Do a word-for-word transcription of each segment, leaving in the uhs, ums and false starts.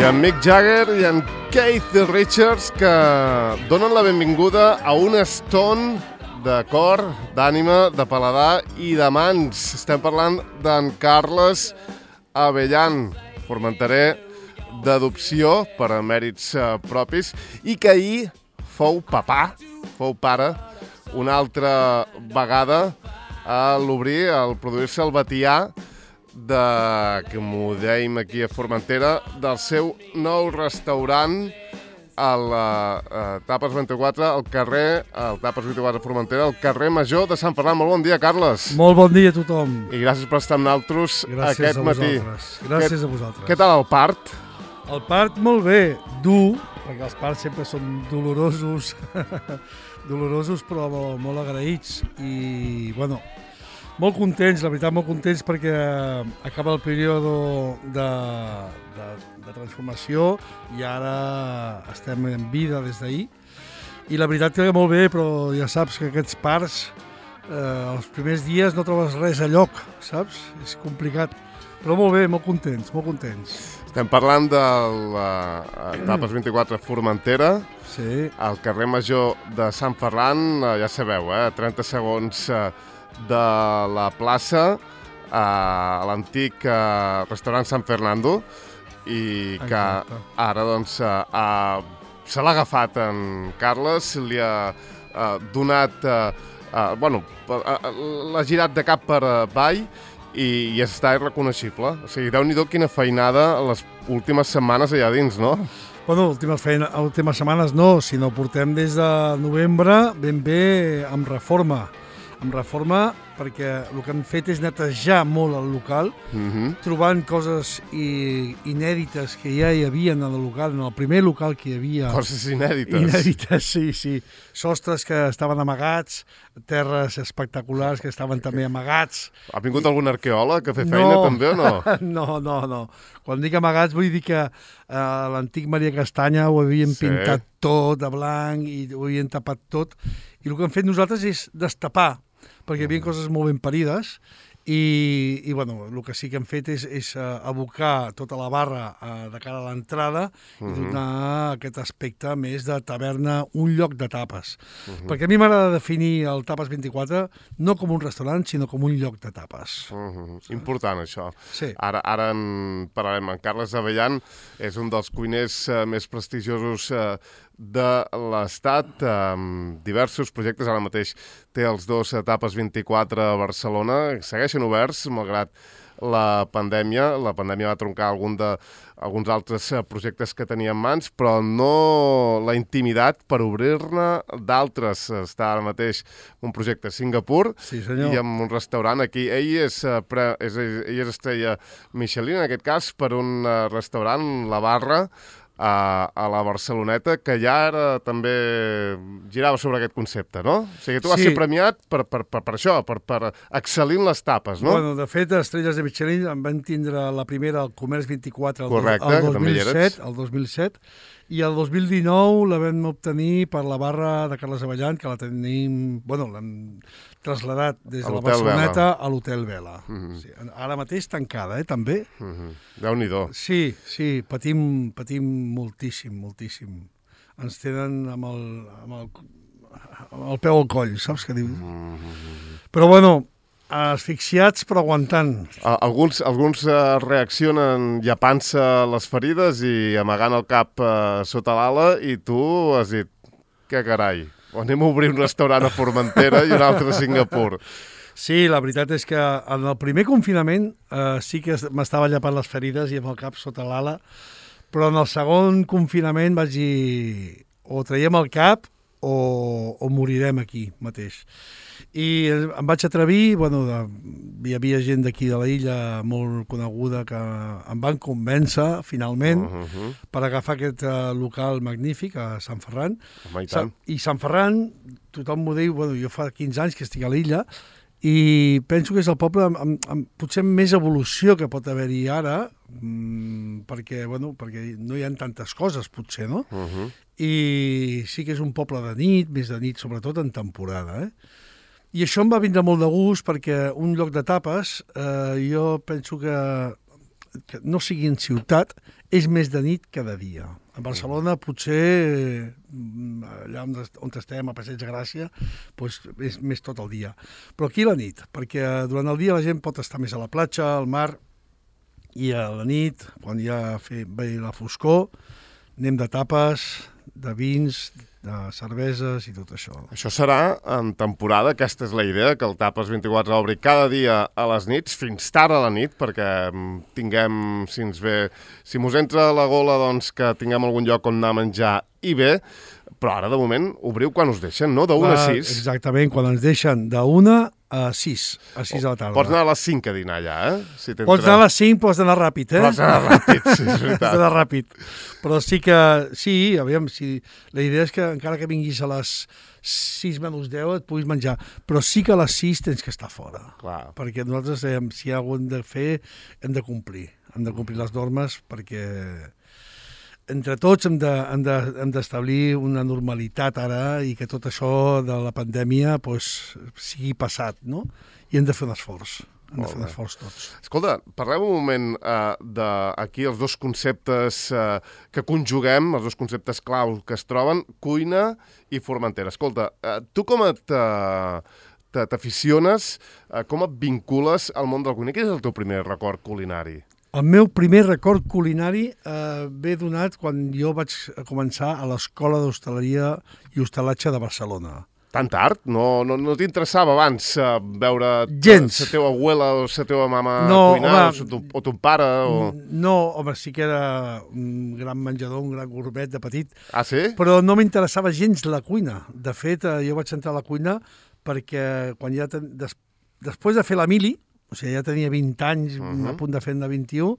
I en Mick Jagger i en Keith Richards, que donen la benvinguda a un Stone de cor, d'ànima, de paladar i de mans. Estem parlant d'en Carles Abellán, formenterer d'adopció per a mèrits eh, propis, i que ahir fou papà, fou pare, una altra vegada a l'obrir, al produir-se el batià de, que m'ho dèiem aquí a Formentera, del seu nou restaurant a la a Tapes vint-i-quatre, al carrer, al Tapes vint-i-quatre Formentera, al carrer Major de Sant Ferran. Molt bon dia, Carles. Molt bon dia a tothom. I gràcies per estar amb nosaltres gràcies aquest a matí. Gràcies que, a vosaltres. Què tal el part? El part molt bé, dur, perquè els parts sempre són dolorosos, dolorosos però molt, molt agraïts i, bueno, molt contents, la veritat, molt contents perquè acaba el període de, de, de transformació i ara estem en vida des d'ahir. I la veritat que molt bé, però ja saps que aquests parts, eh, els primers dies no trobes res a lloc, saps? És complicat, però molt bé, molt contents, molt contents. Estem parlant de la Tapes vint-i-quatre Formentera, sí. Al carrer Major de Sant Ferran, ja sabeu, eh, trenta segons de la plaça, a l'antic restaurant San Fernando, i que Exacte. Ara doncs a, se l'ha agafat en Carles, li ha a, donat, a, a, bueno, l'ha girat de cap per avall, i, i està irreconeixible. O sigui, Déu-n'hi-do quina feinada les últimes setmanes allà dins, no? Bueno, últimes, feina, últimes setmanes no, sinó portem des de novembre ben bé amb reforma. Amb reforma perquè el que hem fet és netejar molt el local, mm-hmm. trobant coses i, inèdites que ja hi havia en el local, en el primer local que hi havia. Coses inèdites. Inèdites, sí, sí. Sostres que estaven amagats, terres espectaculars que estaven també amagats. Ha vingut I... algun arqueòleg a fer feina no. també o no? no, no, no. Quan dic amagats vull dir que eh, l'antic Maria Castanya ho havien sí. pintat tot de blanc i ho havien tapat tot. I el que hem fet nosaltres és destapar, perquè hi havia coses molt ben parides i, i bueno, el que sí que hem fet és, és uh, abocar tota la barra uh, de cara a l'entrada uh-huh. i donar aquest aspecte més de taverna, un lloc de tapes. Uh-huh. Perquè a mi m'agrada definir el Tapes vint-i-quatre no com un restaurant, sinó com un lloc de tapes. Uh-huh. Important, això. Sí. Ara, ara en parlarem. En Carles Abellán és un dels cuiners uh, més prestigiosos uh, de l'Estat, amb diversos projectes. Ara mateix té els dos Tapes vint-i-quatre a Barcelona, segueixen oberts, malgrat la pandèmia. La pandèmia va troncar algun de, alguns altres projectes que tenia en mans, però no la intimidat per obrir-ne d'altres. Està ara mateix un projecte a Singapur sí, senyor. I amb un restaurant aquí. Ell és, pre, és, ell és estrella Michelin, en aquest cas, per un restaurant, La Barra, A, a la Barceloneta, que ja ara també girava sobre aquest concepte, no? O sigui, tu vas sí. ser premiat per, per, per, per això, per, per excel·lir en les tapes, no? Bueno, de fet, Estrelles de Michelin en van tindre la primera al Comerç vint-i-quatre el, Correcte, el, dos mil set, el dos mil set, i el dos mil dinou la vam obtenir per la barra de Carles Abellán, que la tenim, bueno, l'hem traslladat des de la Barceloneta Vela. A l'Hotel Vela. Mm-hmm. Sí, ara mateix tancada, eh, també. Mm-hmm. Déu-n'hi-do. Sí, sí, patim, patim moltíssim, moltíssim. Ens tenen amb el, amb el, amb el peu al coll, saps què diu? Mm-hmm. Però, bueno, asfixiats però aguantant. Alguns, alguns uh, reaccionen llepant-se les ferides i amagant el cap uh, sota l'ala, i tu has dit, què carai, anem a obrir un restaurant a Formentera i un altre a Singapur. Sí, la veritat és que en el primer confinament uh, sí que m'estava llepant les ferides i amb el cap sota l'ala, però en el segon confinament vaig dir, o traiem el cap o, o morirem aquí mateix. I em vaig atrevir, bueno, de, hi havia gent d'aquí de la illa molt coneguda que em van convèncer, finalment, uh-huh. per agafar aquest uh, local magnífic a Sant Ferran. Home, i tant. I Sant Ferran, tothom m'ho diu, bueno, jo fa quinze anys que estic a l'illa, i penso que és el poble amb, amb, amb potser més evolució que pot haver-hi ara, mmm, perquè, bueno, perquè no hi ha tantes coses, potser, no? Uh-huh. I sí que és un poble de nit, més de nit, sobretot en temporada, eh? I això em va vindre molt de gust perquè un lloc de tapes, eh, jo penso que que no sigui en ciutat, és més de nit que de dia. A Barcelona potser, allà on, on estem, a Passeig de Gràcia, doncs és més tot el dia. Però aquí la nit, perquè durant el dia la gent pot estar més a la platja, al mar, i a la nit, quan ja fe, ve la foscor, anem de tapes, de vins, de cerveses i tot això. Això serà en temporada, aquesta és la idea, que el Tapes vint-i-quatre obri cada dia a les nits, fins tard a la nit, perquè tinguem, si ens ve, si mos entra a la gola, doncs que tinguem algun lloc on anar a menjar i bé, però ara, de moment, obriu quan us deixen, no? De una a sis. Exactament, quan ens deixen de una a sis, a sis de la tarda. Pots anar a les cinc a dinar allà, eh? Si pots anar a les cinc, pots anar ràpid, eh? Pots anar ràpid, sí, és veritat. Pots anar ràpid. Però sí que, sí, aviam, si, la idea és que encara que vinguis a les sis menys deu et puguis menjar, però sí que a les sis tens que estar fora. Clar. Perquè nosaltres, eh, si hi ha alguna cosa de fer, hem de complir. Hem de complir les normes perquè entre tots hem de, hem de, hem d'establir una normalitat ara i que tot això de la pandèmia pues, sigui passat, no? I hem de fer un esforç. Hem de fer un esforç tots. Escolta, parlem un moment uh, d'aquí els dos conceptes uh, que conjuguem, els dos conceptes clau que es troben, cuina i Formentera. Escolta, uh, tu com et... Uh, t'aficiones, uh, com et vincules al món de la cuina? Quin és el teu primer record culinari? El meu primer record culinari eh, ve donat quan jo vaig començar a l'Escola d'Hostaleria i Hostalatge de Barcelona. Tan tard? No, no, no t'interessava abans uh, veure Gens. la teva abuela o la teva mama no, cuinar, home, o, tu, o ton pare? O... No, home, sí que era un gran menjador, un gran gourmet de petit. Ah, sí? Però no m'interessava gens la cuina. De fet, eh, jo vaig entrar a la cuina perquè quan ja ten... Des... després de fer la mili, o sigui, ja tenia vint anys, uh-huh. a punt de fer-ne vint-i-u,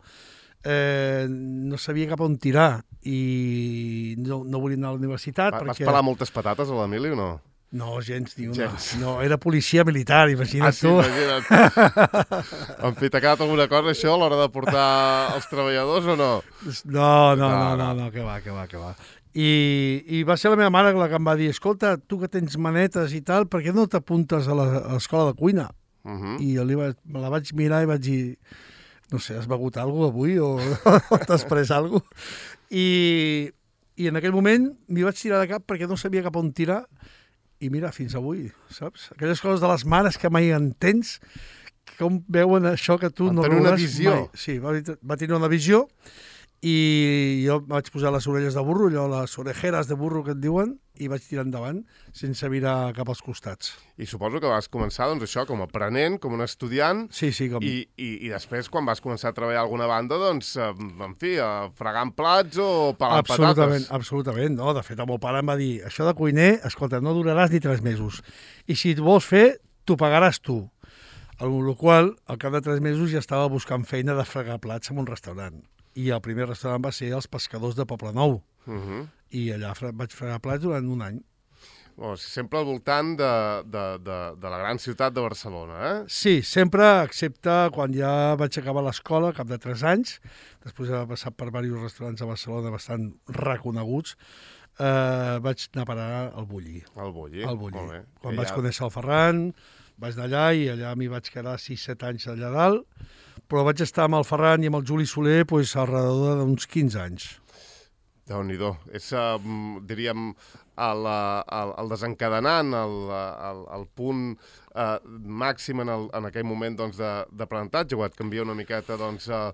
eh, no sabia cap on tirar i no, no volia anar a la universitat. Va, perquè... Vas pelar moltes patates a l'Emili o no? No, gens ni una. Gens. No, era policia militar, imagina't ah, sí, tu. Imagina't. En fi, t'ha quedat alguna cosa, això, a l'hora de portar els treballadors o no? No, no, no, no, no, que va, que va, que va. I, I va ser la meva mare la que em va dir, escolta, tu que tens manetes i tal, per què no t'apuntes a l'escola de cuina? Uh-huh. I jo li va, me la vaig mirar i vaig dir, no sé, has begut alguna cosa avui o, o t'has pres alguna cosa? I, I en aquell moment m'hi vaig tirar de cap perquè no sabia cap on tirar i mira, fins avui, saps? Aquelles coses de les mares que mai entens, com veuen això que tu va no veuràs una visió. Mai. Sí, va, va tenir una visió i jo vaig posar les orelles de burro, allò, les orejeres de burro que et diuen, i vaig tirar endavant sense mirar cap als costats. I suposo que vas començar, doncs, això, com a aprenent, com un estudiant, sí, sí, com... i, i, i després, quan vas començar a treballar a alguna banda, doncs, en fi, fregant plats o pelant absolutament, patates. Absolutament, no. De fet, el meu pare em va dir, això de cuiner, escolta, no duraràs ni tres mesos. I si et vols fer, t'ho pagaràs tu. Amb la qual cosa, al cap de tres mesos ja estava buscant feina de fregar plats en un restaurant. I el primer restaurant va ser els Pescadors de Poblenou. Uh-huh. I allà fre vaig fregar plats durant un any. Oh, sempre al voltant de, de, de, de la gran ciutat de Barcelona, eh? Sí, sempre, excepte quan ja vaig acabar l'escola, cap de tres anys, després d'haver passat per diversos restaurants a Barcelona bastant reconeguts, eh, vaig anar a parar al Bulli. Al Bulli, al Bulli. Molt bé. Quan I vaig ja... conèixer el Ferran, vaig anar allà i allà m'hi vaig quedar sis set anys allà dalt, però vaig estar amb el Ferran i amb el Juli Soler pues, al redador d'uns quinze anys. Déu-n'hi-do. És, uh, diríem, el, el, el desencadenant, el, el, el punt uh, màxim en, el, en aquell moment doncs, d'aprenentatge, o et canvia una miqueta doncs, uh,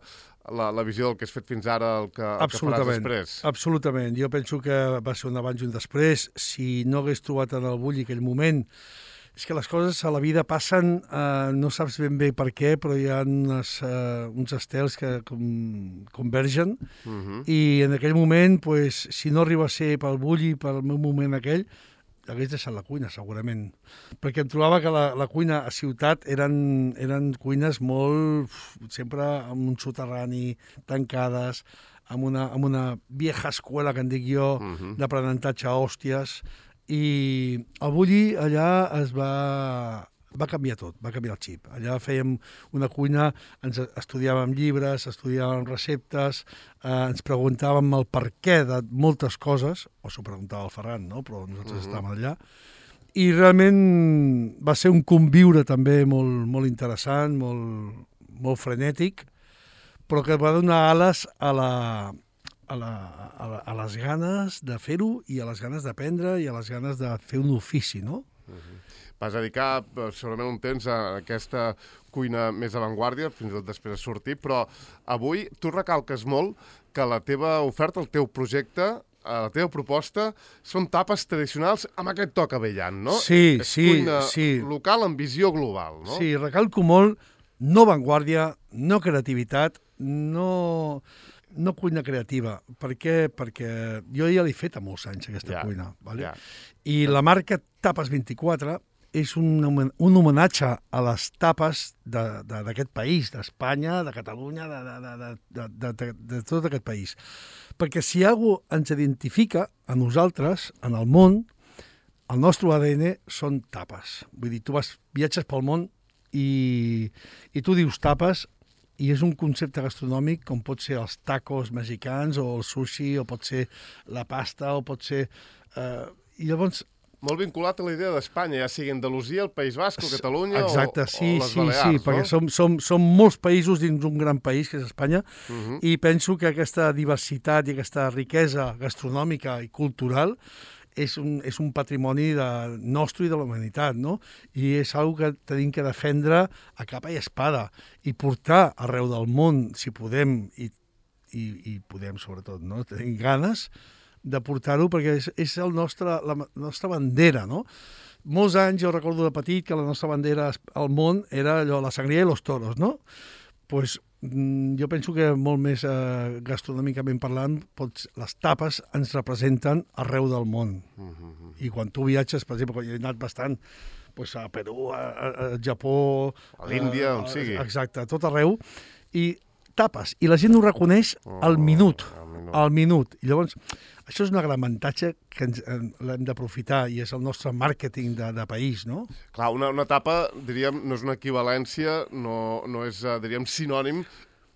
la, la visió del que has fet fins ara, el que, el que faràs després? Absolutament. Jo penso que va ser un abans i un després. Si no hagués trobat en el Bulli aquell moment, és que les coses a la vida passen, eh, no saps ben bé per què, però hi ha unes, eh, uns estels que com, convergen, uh-huh. i en aquell moment, pues, si no arriba a ser pel Bulli, pel meu moment aquell, hagués deixat la cuina, segurament. Perquè em trobava que la, la cuina a ciutat eren, eren cuines molt, sempre amb un soterrani, tancades, amb una, amb una vieja escuela, que en dic jo, uh-huh. d'aprenentatge a hòsties. I el Bulli allà es va, va canviar tot, va canviar el xip. Allà fèiem una cuina, ens estudiàvem llibres, estudiàvem receptes, eh, ens preguntàvem el per què de moltes coses, o s'ho preguntava el Ferran, no? Però nosaltres uh-huh. estàvem allà. I realment va ser un conviure també molt, molt interessant, molt, molt frenètic, però que va donar ales a la... A, la, a, la, a les ganes de fer-ho i a les ganes d'aprendre i a les ganes de fer un ofici, no? Uh-huh. Vas dedicar segurament un temps a aquesta cuina més avantguàrdia, fins i tot després de sortir, però avui tu recalques molt que la teva oferta, el teu projecte, la teva proposta, són tapes tradicionals amb aquest toc avellant, no? Sí, és sí, cuina sí. local amb visió global, no? Sí, recalco molt, no avantguàrdia, no creativitat, no... No cuina creativa. Per què? Perquè jo ja l'he fet a molts anys, aquesta ja, cuina. Vale? Ja. I la marca Tapes vint-i-quatre és un, un homenatge a les tapes d'aquest país, d'Espanya, de Catalunya, de, de, de, de, de, de, de tot aquest país. Perquè si alguna cosa ens identifica a nosaltres, en el món, el nostre A D N són tapes. Vull dir, tu vas, viatges pel món i, i tu dius tapes, i és un concepte gastronòmic com pot ser els tacos mexicans o el sushi, o pot ser la pasta, o pot ser... Eh, I llavors... Molt vinculat a la idea d'Espanya, ja sigui Andalusia, el País Basc, o Catalunya, exacte, o, sí, o les sí, Balears, sí, no? perquè som, som, som molts països dins un gran país, que és Espanya, Uh-huh. i penso que aquesta diversitat i aquesta riquesa gastronòmica i cultural és un, és un patrimoni de, nostre i de la humanitat, no? I és una que tenim que defendre a capa i espada i portar arreu del món, si podem, i, i, i podem sobretot, no? Tenim ganes de portar-ho perquè és, és el nostre, la, la nostra bandera, no? Molts anys, jo recordo de petit, que la nostra bandera al món era allò, la sangria i los toros, no? Pues, jo penso que molt més eh, gastronòmicament parlant, pots, les tapes ens representen arreu del món. Uh-huh. I quan tu viatges, per exemple, quan he anat bastant pues, a Perú, a, a, a Japó... A l'Índia, eh, on sigui. Exacte, a tot arreu. I tapes, i la gent ho reconeix oh, al minut. Al minut. Al minut. I llavors, això és un gran avantatge que ens, l'hem d'aprofitar i és el nostre màrqueting de, de país, no? Clar, una, una tapa, diríem, no és una equivalència, no, no és, diríem, sinònim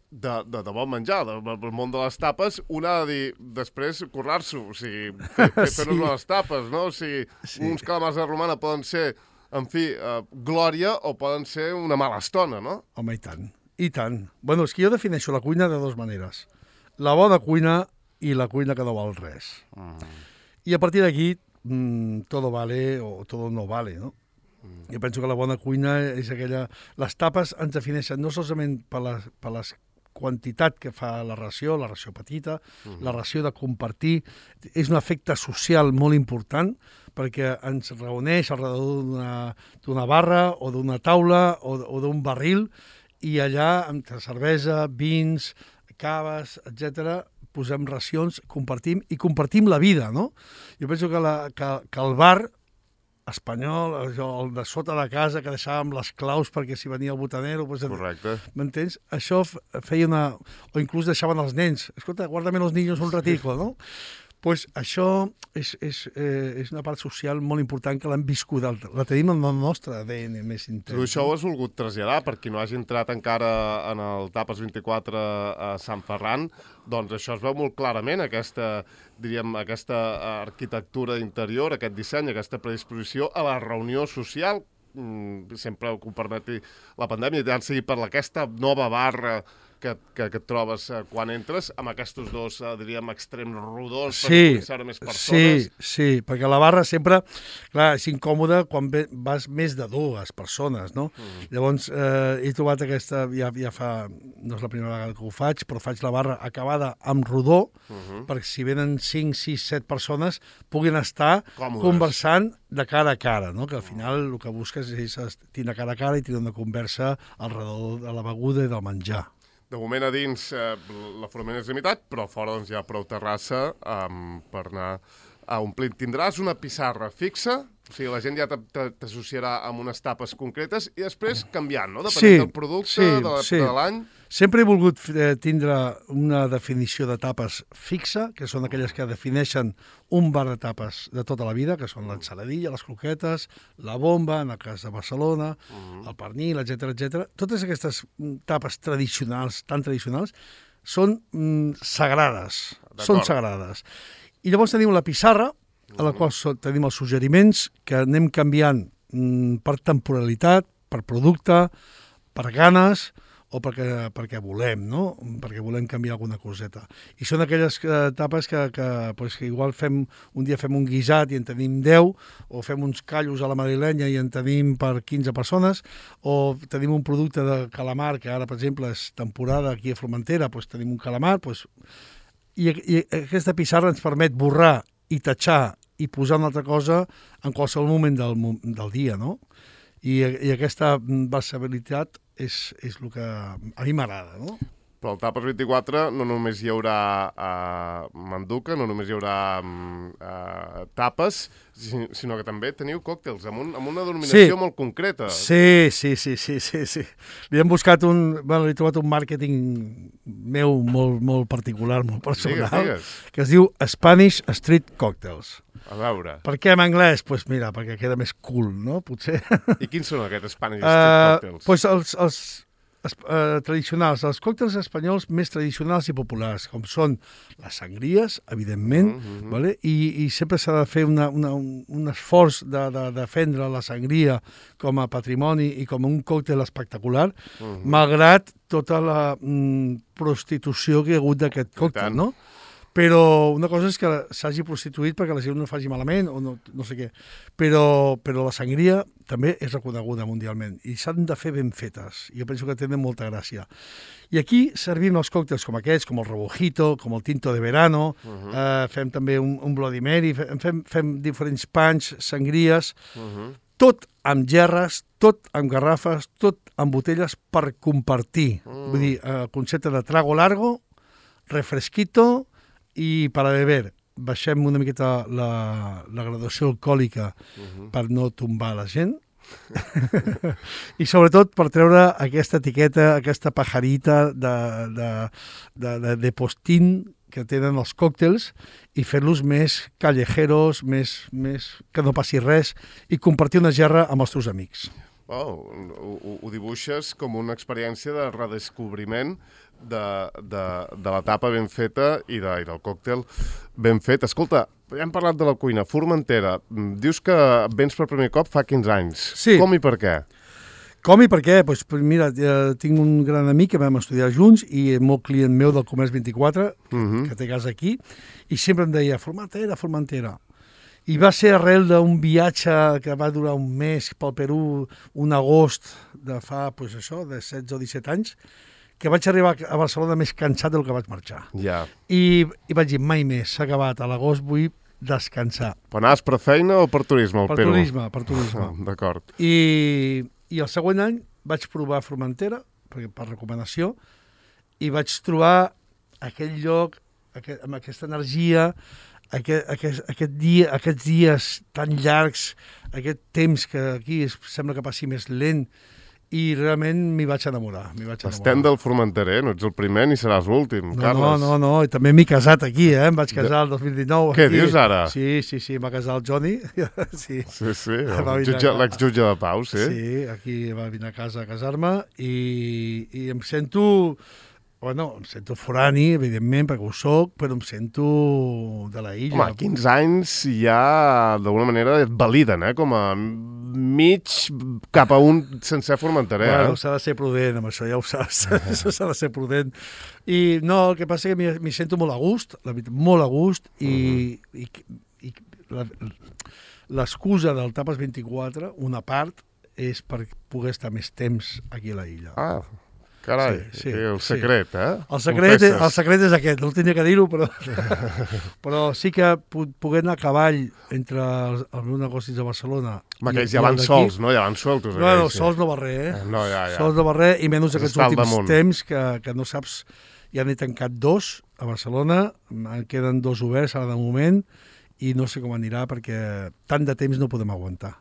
de, de, de bon menjar, del món de les tapes. Un ha de dir, després, currar-s'ho, o sigui, fer, fer, fer sí. les tapes, no? O sigui, sí. uns calamars de romana poden ser, en fi, uh, glòria o poden ser una mala estona, no? Home, i tant, i tant. Bueno, és que jo defineixo la cuina de dues maneres. La bona cuina i la cuina que no val res. Mm. I a partir d'aquí, mmm, todo vale o todo no vale, no? Mm. Jo penso que la bona cuina és aquella... Les tapes ens defineixen no solament per la, per la quantitat que fa la ració, la ració petita, mm. la ració de compartir. És un efecte social molt important perquè ens reuneix al redador d'una barra o d'una taula o, o d'un barril i allà, amb cervesa, vins, caves, etcètera, posem racions, compartim, i compartim la vida, no? Jo penso que, la, que, que el bar espanyol, el de sota de casa, que deixàvem les claus perquè si venia el botanero... Pues, correcte. M'entens? Això feia una... O inclús deixaven els nens. Escolta, guárdame los niños un ratico, no? Pues això és, és, eh, és una part social molt important que l'hem viscut, la tenim en el nostre A D N més intens. Tu això ho has volgut traslladar, per qui no hagi entrat encara en el Tapes vint-i-quatre a Sant Ferran, doncs això es veu molt clarament, aquesta, diríem, aquesta arquitectura interior, aquest disseny, aquesta predisposició a la reunió social, sempre que ho permeti la pandèmia, ja sigui per aquesta nova barra que, que, que et trobes eh, quan entres, amb aquests dos, eh, diríem, extrems rodons sí, per conèixer més persones. Sí, sí, perquè la barra sempre, clar, és incòmode quan ve, vas més de dues persones, no? Mm. Llavors, eh, he trobat aquesta, ja, ja fa, no és la primera vegada que ho faig, però faig la barra acabada amb rodó, mm-hmm. perquè si venen cinc, sis, set persones, puguin estar còmodes, conversant de cara a cara, no? Que al final el que busques és tindre cara a cara i tindre una conversa alrededor de la beguda i del menjar. De moment a dins eh, l'aforament és limitat, però fora doncs, hi ha prou terrassa um, per anar a omplir. Tindràs una pissarra fixa, o sigui, la gent ja t'associarà amb unes tapes concretes i després canviant, no? Depenent sí, del producte, sí, de l'època sí. de l'any. Sempre he volgut eh, tindre una definició de tapes fixa, que són aquelles que defineixen un bar de tapes de tota la vida, que són l'ensaladilla, les croquetes, la bomba, en el cas de Barcelona, uh-huh. el pernil, etcètera, etcètera. Totes aquestes tapes tradicionals, tan tradicionals, són mm, sagrades. Són sagrades. I llavors tenim la pissarra, a la qual tenim els suggeriments que anem canviant mm, per temporalitat, per producte, per ganes, o perquè, perquè volem, no? Perquè volem canviar alguna coseta. I són aquelles etapes que, que, pues, que igual fem, un dia fem un guisat i en tenim deu, o fem uns callos a la madrilenya i en tenim per quinze persones, o tenim un producte de calamar, que ara, per exemple, és temporada aquí a Formentera, pues, tenim un calamar, pues, i, i aquesta pissarra ens permet borrar i tatxar i posar una altra cosa en qualsevol moment del, del dia, no? I, i aquesta versatilitat és, és el que a mi m'agrada, no? Però al Tapes vint-i-quatre no només hi haurà uh, manduca, no només hi haurà uh, tapes, sinó que també teniu còctels amb, un, amb una denominació sí. molt concreta. Sí, sí, sí, sí, sí, sí. Li hem buscat un... Bueno, li he trobat un màrqueting meu molt, molt particular, molt personal, digues, digues. que es diu Spanish Street Cocktails. A veure. Per què en anglès? Doncs pues mira, perquè queda més cool, no? Potser. I quins són aquests Spanish Street uh, Cocktails? Doncs pues els, els uh, tradicionals, els còctels espanyols més tradicionals i populars, com són les sangries, evidentment, uh -huh. vale? I, i sempre s'ha de fer una, una, un, un esforç de, de defendre la sangria com a patrimoni i com un còctel espectacular, uh -huh. malgrat tota la mm, prostitució que hi ha hagut d'aquest còctel, no? Però una cosa és que s'hagi prostituït perquè la gent no faci malament o no, no sé què, però, però la sangria també és reconeguda mundialment i s'han de fer ben fetes. Jo penso que tenen molta gràcia. I aquí servim els còctels com aquests, com el rebujito, com el tinto de verano, uh -huh. eh, fem també un, un Bloody Mary, fem, fem diferents panys, sangries, uh -huh. tot amb gerres, tot amb garrafes, tot amb botelles per compartir. Uh. Vull dir, el concepte de trago largo, refresquito, i per a beber, baixem una miqueta la, la graduació alcohòlica uh-huh. per no tombar la gent i sobretot per treure aquesta etiqueta, aquesta pajarita de, de, de, de, de postín que tenen els còctels i fer-los més callejeros, més, més que no passi res i compartir una gerra amb els teus amics. Oh, ho, ho dibuixes com una experiència de redescobriment de, de, de la tapa ben feta i, de, i del còctel ben fet. Escolta, ja hem parlat de la cuina. Formentera, dius que vens per primer cop fa quinze anys. Sí. Com i per què? Com i per què? Pues, mira, tinc un gran amic que vam estudiar junts i molt client meu del Comerç vint-i-quatre, que, uh-huh. que té casa aquí, i sempre em deia Formentera, Formentera. I va ser arrel d'un viatge que va durar un mes pel Perú, un agost de fa, pues això, de setze o disset anys, que vaig arribar a Barcelona més cansat del que vaig marxar. Ja. I, i vaig dir, mai més, s'ha acabat, a l'agost vull descansar. Però anaves per feina o per turisme al per Perú? Turisme, per turisme, oh, d'acord. I, I el següent any vaig provar Formentera, per, per recomanació, i vaig trobar aquell lloc, aquest, amb aquesta energia, Aquest, aquest, aquest dia, aquests dies tan llargs, aquest temps que aquí es, sembla que passi més lent, i realment m'hi vaig enamorar. vaig enamorar. Estem del formenterer, no ets el primer ni seràs l'últim, no, Carles. No, no, no, i també m'he casat aquí, eh? Em vaig casar el dos mil dinou. Què aquí. dius ara? Sí, sí, sí, m'ha casat el Johnny. sí, sí, sí l'exjutge de pau, sí. Sí, aquí va venir a casa a casar-me i, i em sento... Bueno, em sento forani, evidentment, perquè ho soc, però em sento de la illa. Home, quinze anys ja, d'alguna manera, et validen, eh? Com a mig cap a un sencer formenterer. Bueno, eh? s'ha de ser prudent amb això, ja ho saps. s'ha de ser prudent. I no, el que passa és que m'hi sento molt a gust, la veritat, molt a gust, i, uh -huh. i, i l'excusa del Tapes vint-i-quatre, una part, és per poder estar més temps aquí a la illa. Ah, carai, sí, sí, el secret, sí. eh? El secret, és, el secret és aquest, no tenia que dir-ho, però, però sí que poder anar a cavall entre els, els meus negocis de Barcelona... Home, aquells ja van sols, no? Ja van sueltos. No, no, sols no va res, eh? No, ja, ja. Sols no va res, i menys aquests últims temps que, que no saps... Ja n'he tancat dos a Barcelona, en queden dos oberts ara de moment, i no sé com anirà perquè tant de temps no podem aguantar.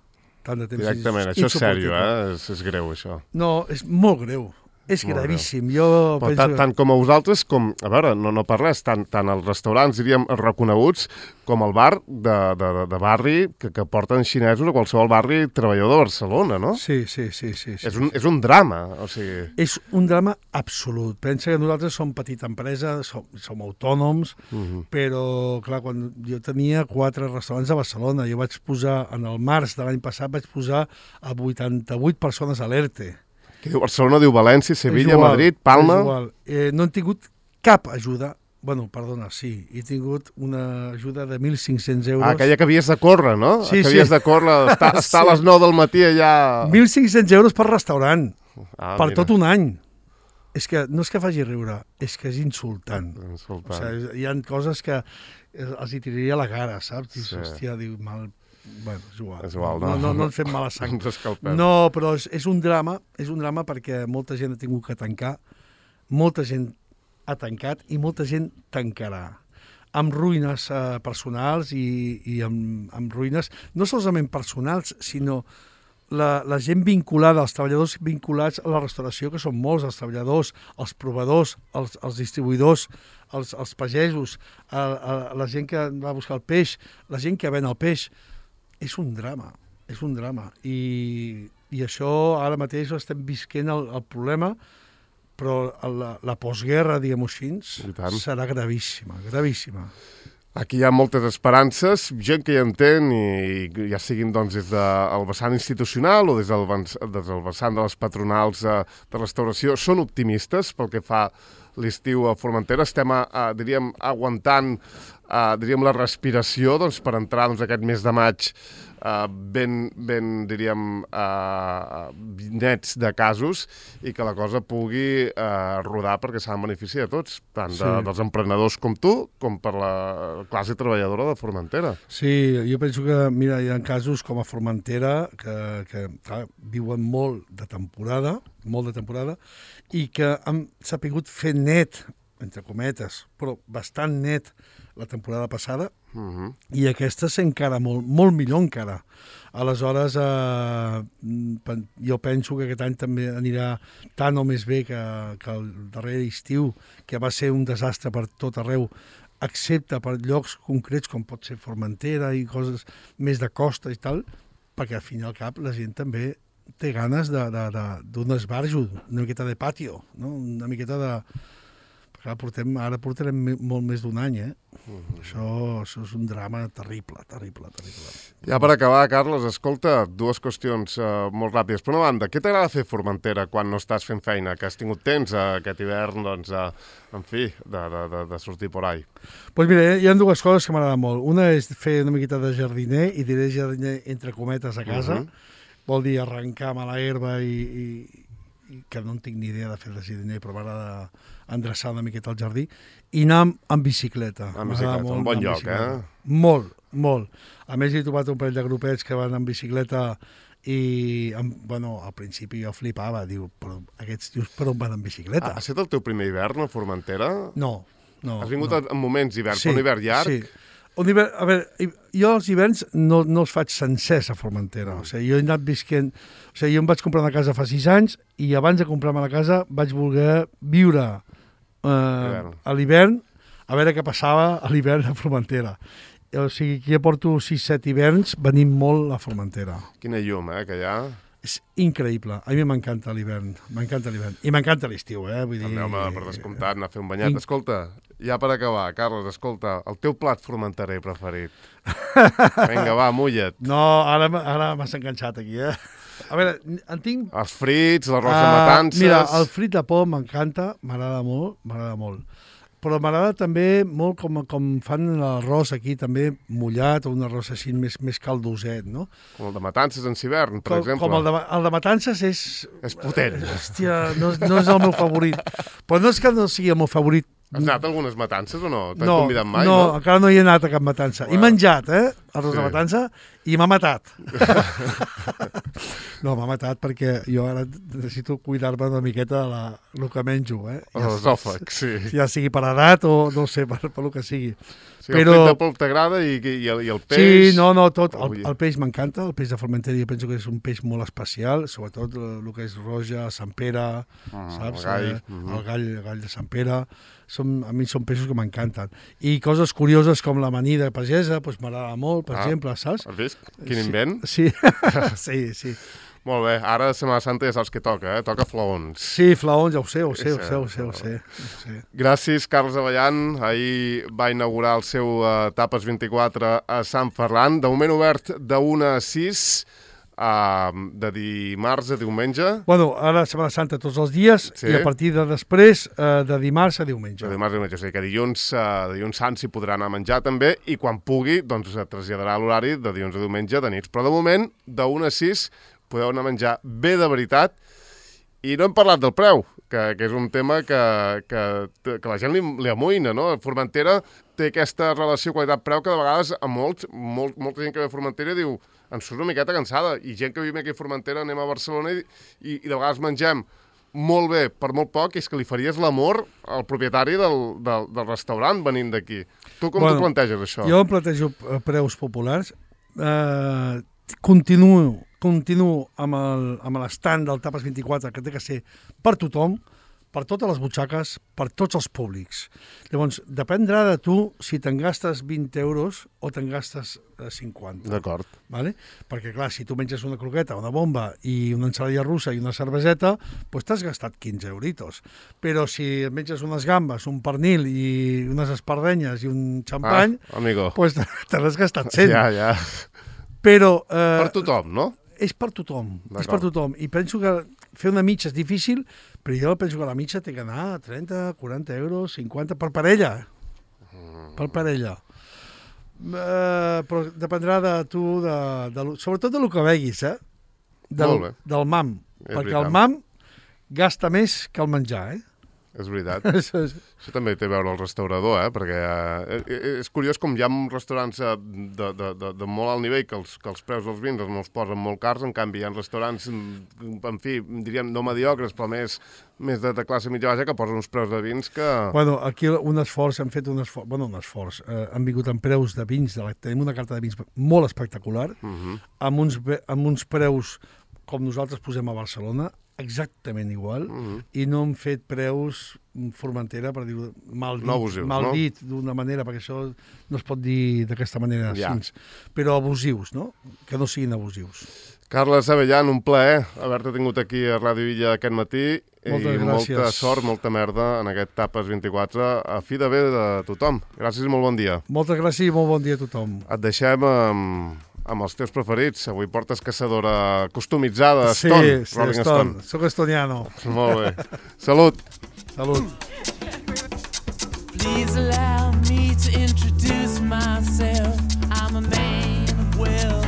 Tant de temps Directament, això és sèrio, eh? És, és greu, això. No, és molt greu. És gravíssim. Jo Però penso... tant, tant com a vosaltres, com... A veure, no, no per res, tant, tant els restaurants, diríem, reconeguts, com el bar de, de, de barri que, que porten xinesos a qualsevol barri treballador de Barcelona, no? Sí, sí, sí. sí, sí és, un, és un drama, o sigui... És un drama absolut. Pensa que nosaltres som petita empresa, som, som autònoms, uh -huh. però, clar, quan jo tenia quatre restaurants a Barcelona, jo vaig posar, en el març de l'any passat, vaig posar a vuitanta-vuit persones a l'ERTE. Qui diu Barcelona, diu València, Sevilla, igual, Madrid, Palma... És igual. Eh, no han tingut cap ajuda. Bueno, perdona, sí, he tingut una ajuda de mil cinc-cents euros. Ah, aquella que havies de córrer, no? Sí, que sí. havies de córrer, estar, estar sí. a les nou del matí allà... mil cinc-cents euros per restaurant, ah, per mira. tot un any. És que no és que faci riure, és que és insultant. insultant. O sigui, hi ha coses que els hi tiraria a la cara, saps? Dius, Sí. hòstia, diu, mal... Bueno, és igual. És igual, no? No, no, no ens fem mala sang. Ens escalpem. No, però és, és un drama, és un drama perquè molta gent ha tingut que tancar, molta gent ha tancat i molta gent tancarà amb ruïnes eh, personals i, i amb, amb ruïnes no solament personals, sinó la, la gent vinculada, els treballadors vinculats a la restauració, que són molts, els treballadors, els provadors, els, els distribuïdors, els, els pagesos, a, a, a la gent que va a buscar el peix, la gent que ven el peix. És un drama, és un drama. I, i això ara mateix estem visquent el, el problema, però la, la postguerra, diguem-ho així, serà gravíssima, gravíssima. Aquí hi ha moltes esperances, gent que hi entén, i ja siguin doncs, des del vessant institucional o des del, des del vessant de les patronals de, de restauració, són optimistes pel que fa l'estiu a Formentera. Estem, a, a, diríem, aguantant a, diríem, la respiració doncs, per entrar doncs, aquest mes de maig Uh, ben, ben, diríem, uh, nets de casos i que la cosa pugui uh, rodar perquè s'ha de beneficiar de tots, tant de, sí. dels emprenedors com tu, com per la classe treballadora de Formentera. Sí, jo penso que, mira, hi ha casos com a Formentera que, que clar, viuen molt de temporada, molt de temporada, i que han sapigut fer net, entre cometes, però bastant net la temporada passada, uh-huh. i aquesta és encara molt, molt millor encara. Aleshores, eh, jo penso que aquest any també anirà tant o més bé que, que el darrer estiu, que va ser un desastre per tot arreu, excepte per llocs concrets com pot ser Formentera i coses més de costa i tal, perquè al fin i al cap la gent també té ganes d'un esbarjo, una miqueta de patio, no? Una miqueta de... Clar, portem, ara portarem molt més d'un any, eh? Uh-huh. Això, això és un drama terrible, terrible, terrible. Ja per acabar, Carles, escolta, dues qüestions uh, molt ràpides. Per una banda, què t'agrada fer a Formentera quan no estàs fent feina? Que has tingut temps uh, aquest hivern, doncs, uh, en fi, de, de, de, de sortir por ahí? Doncs pues mira, hi ha dues coses que m'agraden molt. Una és fer una miqueta de jardiner, i diré jardiner entre cometes a casa. Uh-huh. Vol dir arrencar mala herba i... i que no en tinc ni idea de fer de jardiner, però m'agrada endreçar una miqueta al jardí, i anar amb, amb bicicleta. Amb bicicleta, molt, un bon lloc, bicicleta. eh? Molt, molt. A més, he trobat un parell de grupets que van amb bicicleta i, amb, bueno, al principi jo flipava, diu, però aquests tios per on van amb bicicleta? Ah, ha estat el teu primer hivern a Formentera? No, no. Has vingut no. en moments d'hivern, sí, però un hivern llarg? Sí. Un hivern, a veure, jo els hiverns no, no els faig sencers a Formentera. O sigui, jo he anat visquent... O sigui, jo em vaig comprar una casa fa sis anys i abans de comprar-me la casa vaig voler viure eh, a l'hivern, a veure què passava a l'hivern a Formentera. O sigui, que jo porto sis set hiverns venint molt a Formentera. Quina llum, eh, que hi ha... És increïble. A mi m'encanta l'hivern. M'encanta l'hivern. I m'encanta l'estiu, eh? Vull dir... També, home, per descomptat, anar a fer un banyat. Escolta, ja per acabar, Carles, escolta, el teu plat formenterer preferit. Vinga, va, mulla't. No, ara, ara m'has enganxat aquí, eh? A veure, en tinc... Els frits, l'arròs de matances... Uh, mira, el frit de por m'encanta, m'agrada molt, m'agrada molt. Però m'agrada també molt com, com fan l'arròs aquí, també mullat, o un arròs així més, més caldoset, no? Com el de matances en hivern, per com, exemple. Com el de, el de matances és... És potent. Hòstia, no, no és el meu favorit. Però no és que no sigui el meu favorit. Has anat a algunes matances o no? T'han no, convidat mai, no? No, encara no hi he anat a cap matança. Wow. He menjat, eh, arròs sí. de matança, i m'ha matat. No, m'ha matat perquè jo ara necessito cuidar-me una miqueta de la, el que menjo, eh? Ja, l'esòfag, sí. Ja sigui per edat o no sé, per, per el que sigui. Sí, però... El frit de polp t'agrada i, i, el, i el peix... Sí, no, no, tot. El, el peix m'encanta, el peix de Formentera jo penso que és un peix molt especial, sobretot el, el que és roja, Sant Pere, ah, saps? El gall. Eh, mm-hmm. el, gall el gall de Sant Pere. Som, a mi són peixos que m'encanten. I coses curioses com l'amanida pagesa, doncs m'agrada molt, per ah, exemple, saps? Has vist? Quin invent? Sí, sí, sí. Molt bé, ara a Setmana Santa ja saps què toca, eh? Toca flaons. Sí, flaons, ja ho sé, ho sé, ho sé, ho sé, ho sé. Ho sé. Gràcies, Carles Avellan. Ahir va inaugurar el seu uh, Tapes vint-i-quatre a Sant Ferran. De moment obert de una a sis. uh, de dimarts a diumenge. Bueno, ara Setmana Santa tots els dies sí. I a partir de després uh, de dimarts a diumenge. De dimarts a diumenge, o sigui que dilluns, uh, dilluns sant s'hi podrà anar a menjar també i quan pugui doncs es traslladarà l'horari de dilluns a diumenge de nits. Però de moment, de una a sis, podeu anar a menjar bé de veritat. I no hem parlat del preu, que, que és un tema que, que, que la gent li, li amoïna, no? Formentera té aquesta relació qualitat-preu que de vegades a molts, molt, molta gent que ve a Formentera diu ens surt una miqueta cansada, i gent que vivim aquí a Formentera anem a Barcelona i, i, i de vegades mengem molt bé per molt poc, és que li faries l'amor al propietari del, del, del restaurant venint d'aquí. Tu com bueno, t'ho planteges, això? Jo em plantejo preus populars. Eh, continuo continuo amb l'estand del Tapes vint-i-quatre, que té que ser per tothom, per totes les butxaques, per tots els públics. Llavors, dependrà de tu si te'n gastes vint euros o te'n gastes cinquanta. D'acord. Vale? Perquè, clar, si tu menges una croqueta, una bomba i una ensaladilla russa i una cerveseta, doncs t'has gastat quinze euritos. Però si menges unes gambes, un pernil i unes espardenyes i un xampany, ah, amigo, doncs te l'has gastat cent. Ja, ja. Però... Eh, per tothom, no? És per tothom, és per tothom. I penso que fer una mitja és difícil, però jo penso que la mitja té que anar a trenta, quaranta euros, cinquanta, per parella. Mm. Per parella. Uh, però dependrà de tu, de, de, sobretot del que veguis, eh? Del, del mam. És perquè veritat. El mam gasta més que el menjar, eh? És veritat. Això també té a veure el restaurador, eh? Perquè eh, és curiós com hi ha restaurants de, de, de, de molt alt nivell que els, que els preus dels vins no els posen molt cars, en canvi hi ha restaurants, en fi, diríem no mediocres, però més, més de, de classe mitja baixa que posen uns preus de vins que... Bueno, aquí un esforç, hem fet un esforç, bueno, un esforç, eh, han vingut amb preus de vins, de la, tenim una carta de vins molt espectacular, uh-huh. amb, uns, amb uns preus com nosaltres posem a Barcelona, exactament igual, uh-huh. i no hem fet preus Formentera, per dir-ho mal dit, no abusius, mal no? dit d'una manera, perquè això no es pot dir d'aquesta manera, ja. Així, però abusius, no? Que no siguin abusius. Carles Abellan, un plaer haver-te tingut aquí a Ràdio Illa aquest matí. Moltes i gràcies. Molta sort, molta merda en aquest Tapes vint-i-quatre, a fi de bé de tothom. Gràcies i molt bon dia. Moltes gràcies i molt bon dia a tothom. Et deixem amb... amb els teus preferits. Avui portes caçadora customitzada, sí, Stone, sí, Rolling Stone. Stone. Soc estoniano. Molt bé. Salut. Salut. Please allow me to introduce myself. I'm a man of wealth.